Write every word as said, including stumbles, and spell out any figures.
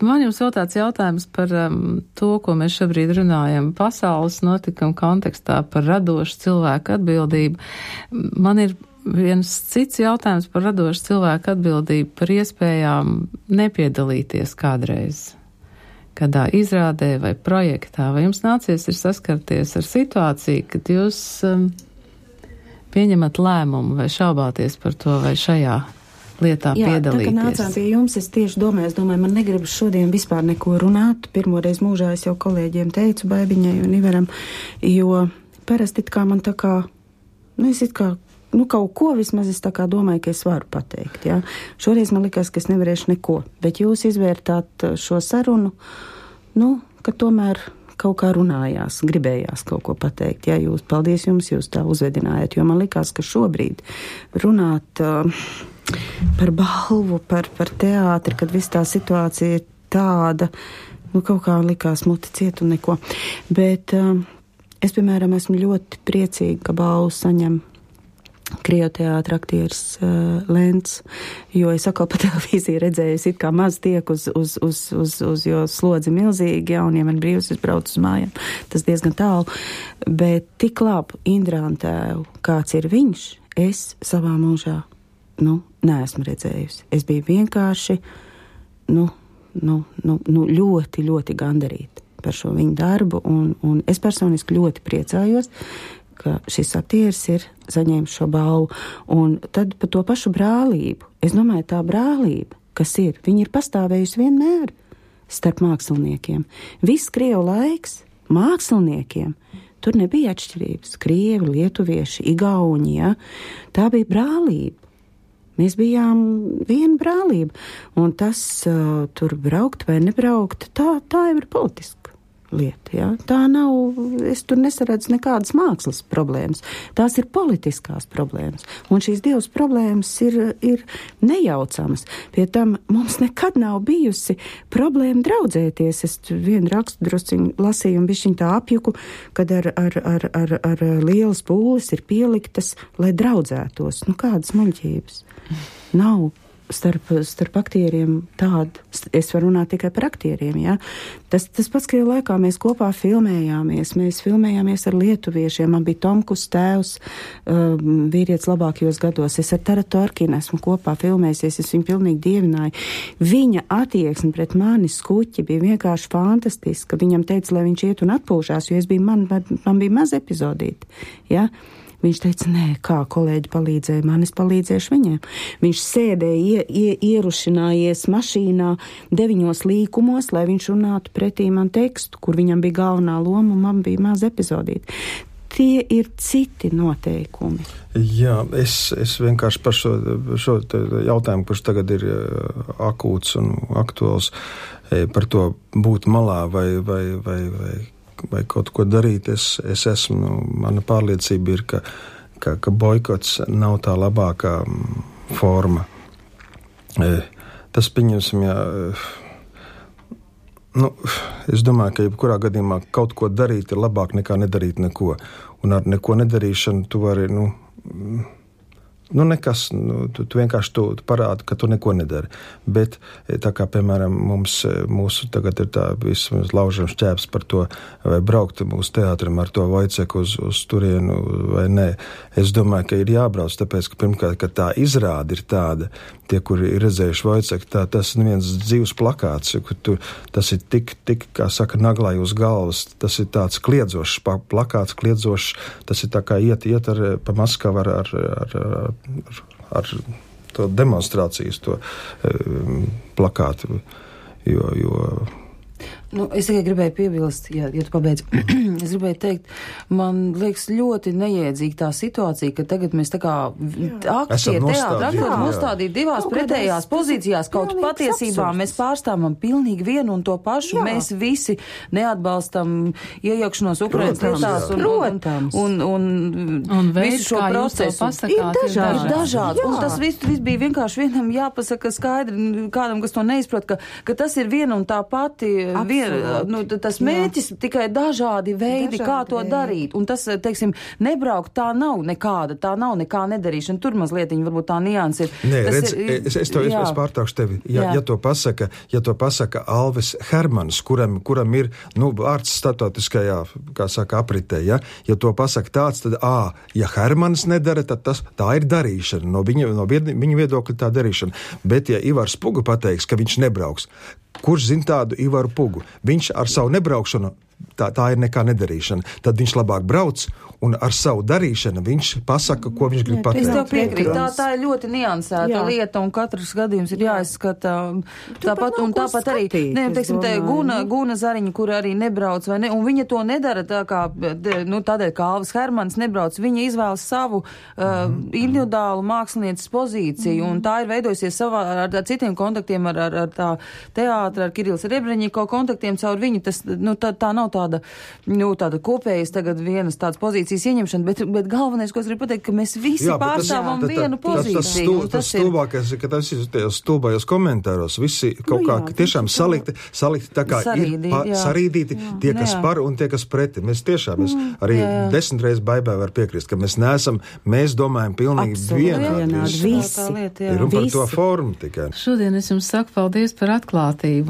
Man jums vēl tāds jautājums par um, to, ko mēs šobrīd runājam pasaules notikuma kontekstā par radošu cilvēku atbildību. Man ir viens cits jautājums par radošu cilvēku atbildību, par iespējām nepiedalīties kādreiz kādā izrādē vai projektā. Vai jums nācies ir saskarties ar situāciju, kad jūs um, pieņemat lēmumu vai šaubāties par to vai šajā lietā Jā, piedalīties? Jā, tā kā nācām pie jums, es tieši domāju, es domāju, man negribas šodien vispār neko runāt. Pirmoreiz mūžā es jau kolēģiem teicu, Baibiņai un Iveram, jo parasti it kā man tā kā, nu es it kā, nu kaut ko vismaz es tā kā domāju, ka es varu pateikt, jā. Šoreiz man likās, ka es nevarēšu neko, bet jūs izvērtāt šo sarunu, nu, ka tomēr kaut kā runājās, gribējās kaut ko pateikt. Jā, jūs, paldies jums, jūs tā uzvedinājāt, jo man likās, ka šobrīd runāt uh, par balvu, par, par teātri, kad viss tā situācija ir tāda, nu kaut kā likās muti ciet un neko. Bet uh, es, piemēram, esmu ļoti priecīga, ka balvu saņem Krievu teātra aktieris uh, Lents, jo es atkal pa televīziju redzēju, es it kā maz tiek uz, uz, uz, uz, uz jo slodzi milzīgi, ja, un ja man brīvs, es braucu uz mājām, tas diezgan tālu, bet tik labu Indrāntēvu, kāds ir viņš, es savā mūžā, nu, neesmu redzējusi. Es biju vienkārši, nu, nu, nu, nu ļoti, ļoti gandarīta par šo viņu darbu, un, un es personiski ļoti priecājos, ka šis aktieris ir saņēmis šo balvu. Un tad par to pašu brālību. Es domāju, tā brālība, kas ir, viņa ir pastāvējusi vienmēr starp māksliniekiem. Viss Krievu laiks māksliniekiem, tur nebija atšķirības. Krievi, lietuvieši, igauņi, ja? Tā bija brālība. Mēs bijām viena brālība. Un tas uh, tur braukt vai nebraukt, tā, tā jau ir politiska lieta, ja? Tā nav, es tur nesaredzu nekādas mākslas problēmas. Tās ir politiskās problēmas. Un šīs divas problēmas ir, ir nejaucamas. Pie tam mums nekad nav bijusi problēma draudzēties. Es vienu rakstu drusciņu lasīju un bišķiņ tā apjuku, kad ar, ar, ar, ar, ar lielas pūles ir pieliktas, lai draudzētos. Nu, kādas muļķības? Nav. Starp, starp aktieriem tādu, es varu runāt tikai par aktieriem, jā. Tas, tas pats, ka laikā mēs kopā filmējāmies, mēs filmējāmies ar lietuviešiem, man bija Tomkus tēvs, um, vīrietis labākajos gados, es ar Taratu Arkinu esmu kopā filmējusies, es viņu pilnīgi dievināju. Viņa attieksme pret mani skuķi bija vienkārši fantastiska, viņam teica, lai viņš iet un atpūšās, jo es biju, man, man bija maz epizodīti, jā. Viņš teica, nē, kā kolēģi palīdzēja man, es palīdzēšu viņiem. Viņš sēdēja, ie, ie, ierušinājies mašīnā deviņos līkumos, lai viņš runātu pretī man tekstu, kur viņam bija galvenā loma un man bija maz epizodīti. Tie ir citi noteikumi. Jā, es, es vienkārši par šo, šo jautājumu, kurš tagad ir akūts un aktuāls, par to būt malā vai, vai, vai, vai vai kaut ko darīt, es, es esmu, mana pārliecība ir, ka, ka, ka boikots nav tā labākā forma. Tas, pieņemsim, jā, nu, es domāju, ka jebkurā gadījumā kaut ko darīt ir labāk nekā nedarīt neko. Un ar neko nedarīšanu tu vari, nu, nu nekas, nu, tu, tu vienkārši tu, tu parādi, ka tu neko nedari. Bet tā kā, piemēram, mums, mūsu tagad ir tā vismaz laužam šķēps par to, vai braukt mūsu teātrim ar to Vojceku uz, uz turienu vai nē. Es domāju, ka ir jābrauc, tāpēc, ka pirmkārt, ka tā izrāde ir tāda, tie, kuri ir redzējuši Vojceku, tā, tas ir viens dzīvs plakāts, tu, tas ir tik, tik, kā saka, naglai uz galvas, tas ir tāds kliedzošs plakāts, kliedzošs, tas ir tā kā iet, iet ar, pa Maskavu ar, ar, ar, ar Ar, ar to demonstrācijas, to um, plakātu, jo, jo Nu, es tikai gribēju piebilst, ja, ja tu pabeidz, es gribēju teikt, man liekas ļoti neiedzīga tā situācija, ka tagad mēs tā kā aktie teātra aktori nostādīt divās kaut pretējās pozīcijās, kaut patiesībā absurds. Mēs pārstāvam pilnīgi vienu un to pašu, jā. Mēs visi neatbalstam iejaukšanos Ukrainas lietās un, un, un, un, un visu šo procesu. Pasakāt, ir dažādi. Ir dažādi. Un tas viss, viss bija vienkārši vienam jāpasaka skaidri, kādam, kas to neizprot, ka, ka tas ir viena un tā pati viena ir, nu, tas mērķis jā. Tikai dažādi veidi, dažādi kā to veidi. Darīt. Un tas, teiksim, nebraukt, tā nav nekāda, tā nav nekā nedarīšana. Tur mazliet, varbūt tā nianses ir. Nē, tas redz, ir, es, es to es, es pārtraukšu tevi. Ja, ja to pasaka, ja to pasaka Alvis Hermans, kuram, kuram ir, nu, vārds statotiskajā, kā saka, apritē, ja, ja to pasaka tāds, tad, ā, ja Hermans nedara, tad tas, tā ir darīšana. No viņa, no viņa viedokļa tā darīšana. Bet, ja Ivars Puga pateiks, ka viņš nebrauks, kurš zina tādu Ivaru Pugu? Viņš ar savu nebraukšanu, tā, tā ir nekā nedarīšana. Tad viņš labāk brauc un ar savu darīšanu viņš pasaka, ko viņš grib pateikt. Es tev piekrītu, tā, tā ir ļoti niansēta jā. Lieta un katrs gadījums ir jāizskata. Tāpat, un tāpat arī, ne, teiksim, te Guna, Guna Zariņa, kur arī nebrauc, vai ne, un viņa to nedara tā kā, nu, tādēļ, kā Alvis Hermans nebrauc, viņa izvēlas savu uh, mm. individuālu mākslinieces pozīciju, mm. un tā ir veidojusies savā, ar, ar citiem kontaktiem, ar, ar, ar tā teātra, ar Kirillis Rebreņiko kontaktiem caur viņu, tas, nu, tā, tā nav tāda, nu, tāda kopējas tagad vienas tādas pozīcijas ieņemšana, bet, bet galvenais, ko es gribu pateikt, ka mēs visi jā, pārstāvam tas, vienu tā, pozīciju. Tas, tas, tas, tas stulbākais, ka tas ir tajos stulbājos komentāros, visi kaut nu, jā, kā tiešām salikti, salikti tā kā sarīdīt, ir pa, sarīdīti jā. Tie, kas jā. Par un tie, kas preti. Mēs tiešām, mēs arī jā, jā. Desmit reizes Baibai var piekrist, ka mēs neesam, mēs domājam pilnīgi vienādi. Visi. Ir un par to formu tikai. Šodien es jums saku paldies par atklātību.